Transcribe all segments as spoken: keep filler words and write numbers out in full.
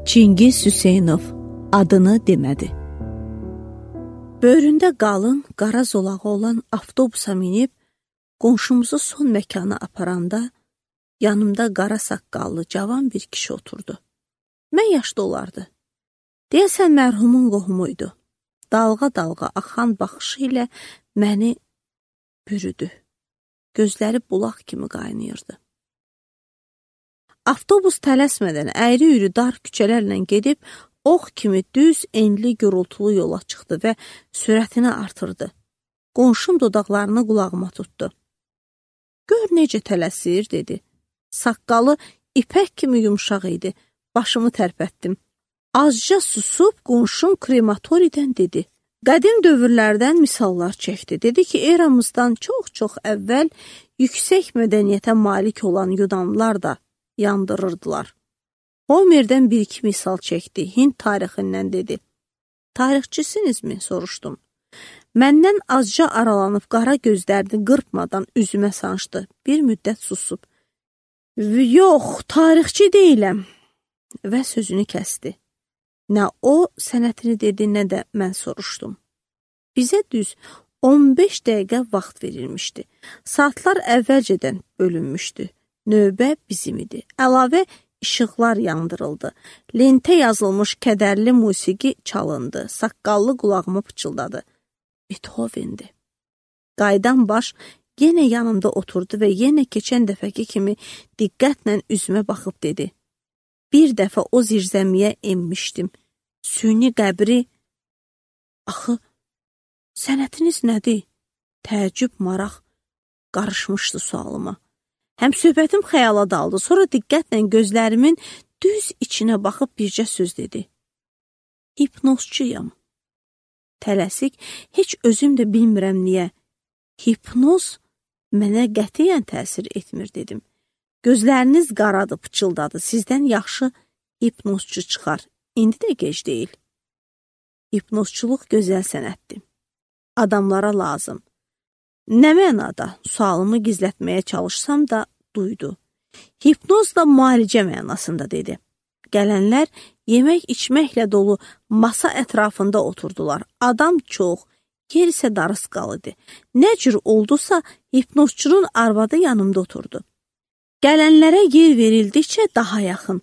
Çingiz Hüseynov adını demədi. Böyründə qalın, qara zolağı olan avtobusa minib, qonşumuzu son məkana aparanda, yanımda qara saqqallı cavan bir kişi oturdu. Mən yaşlı olardı. Deyəsən mərhumun qohumuydu. Dalğa-dalğa axan baxışı ilə məni bürüdü. Gözləri bulaq kimi qaynayırdı. Avtobus tələsmədən əyri-üyrü dar küçələrlə gedib, ox kimi düz, enli, gürültülü yola çıxdı və sürətini artırdı. Qonşum dodaqlarını qulağıma tutdu. Gör necə tələsir, dedi. Saqqalı ipək kimi yumşaq idi. Başımı tərpətdim. Azca susub, qonşum krematoridən dedi. Qədim dövrlərdən misallar çəkdi. Dedi ki, eramızdan çox-çox əvvəl yüksək mədəniyyətə malik olan yunanlılar da yandırırdılar. Homerdən bir-iki misal çəkdi. Hind tarixindən dedi. Tarixçisinizmi? Soruşdum. Məndən azca aralanıb qara gözlərini qırpmadan üzümə sancdı. Bir müddət susub. Yox, tarixçi deyiləm. Və sözünü kəsdi. Nə o sənətini dedi, nə də mən soruşdum. Bizə düz on beş dəqiqə vaxt verilmişdi. Saatlar əvvəlcədən bölünmüşdü. Növbə bizim idi. Əlavə işıqlar yandırıldı. Lentə yazılmış kədərli musiqi çalındı. Saqqallı qulağıma pıçıldadı. Beethoven'di. Qaydan baş yenə yanımda oturdu və yenə keçən dəfəki kimi diqqətlə üzümə baxıb dedi. Bir dəfə o zirzəmiyə enmişdim. Süni qəbri. Axı, sənətiniz nədir? Təəccüb, maraq qarışmışdı sualıma. Həm söhbətim xəyala daldı, sonra diqqətlə gözlərimin düz içinə baxıb bircə söz dedi. Hipnozçuyam. Tələsik, heç özüm də bilmirəm niyə. Hipnoz mənə qətiyyən təsir etmir, dedim. Gözləriniz qaradı, pıçıldadı. Sizdən yaxşı hipnozçu çıxar. İndi də gec deyil. Hipnozçuluq gözəl sənətdir. Adamlara lazım. Nə mənada? Sualımı gizlətməyə çalışsam da duydu. Hipnoz da müalicə mənasında dedi. Gələnlər yemək içməklə dolu masa ətrafında oturdular. Adam çox, yer isə darısqalıdır. Nə cür oldusa hipnozçunun arvadı yanımda oturdu. Gələnlərə yer verildikcə daha yaxın.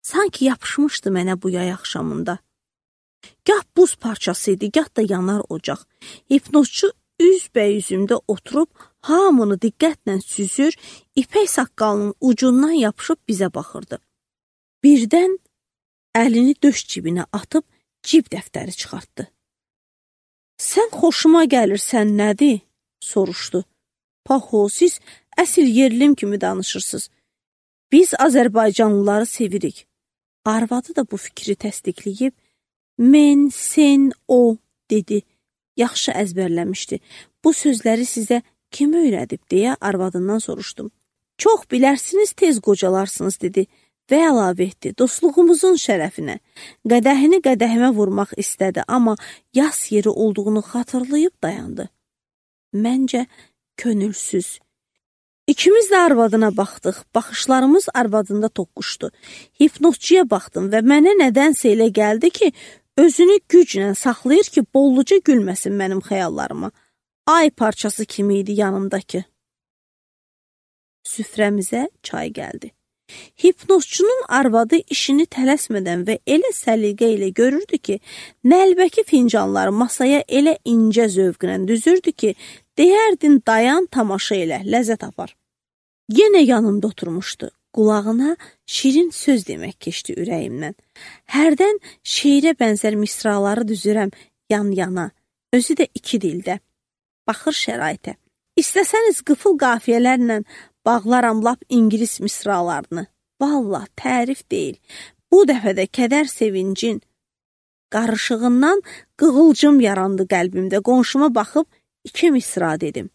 Sanki yapışmışdı mənə bu yay axşamında. Gah buz parçası idi, gah da yanar ocaq. Hipnozçu üzbəyüzümdə oturub, hamını diqqətlə süzür, ipək saqqalının ucundan yapışıb bizə baxırdı. Birdən əlini döş cibinə atıb cib dəftəri çıxartdı. Sən xoşuma gəlirsən, nədir? Soruşdu. Paxo, siz əsil yerlim kimi danışırsınız. Biz Azərbaycanlıları sevirik. Arvadı da bu fikri təsdiqləyib, mən, sən, o, dedi. Yaxşı əzbərləmişdi. Bu sözləri sizə kim öyrədib, deyə arvadından soruşdum. Çox bilərsiniz, tez qocalarsınız, dedi və əlavə etdi. Dostluğumuzun şərəfinə. Qədəhini qədəhimə vurmaq istədi, amma yas yeri olduğunu xatırlayıb dayandı. Məncə könülsüz. İkimiz də arvadına baxdıq. Baxışlarımız arvadında toqquşdu. Hipnozçuya baxdım və mənə nədənsə elə gəldi ki, özünü güclə saxlayır ki, bolluca gülməsin mənim xəyallarıma. Ay parçası kimi idi yanımdakı. Süfrəmizə çay gəldi. Hipnozçunun arvadı işini tələsmədən və elə səliqə ilə görürdü ki, nəlbəki fincanları masaya elə incə zövqlə düzürdü ki, deyərdin dayan, tamaşa elə, ləzzət apar. Yenə yanımda oturmuşdu. Qulağına şirin söz demək keçdi ürəyimdən. Hərdən şeirə bənzər misraları düzürəm yan-yana, özü də iki dildə. Baxır şəraitə. İstəsəniz qıfıl qafiyələrlə bağlaram lap ingilis misralarını. Vallah, tərif deyil. Bu dəfə də kədər sevincin qarışığından qığılcım yarandı qəlbimdə. Qonşuma baxıb iki misra dedim.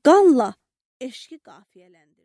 Qanla eşqi qafiyələndi.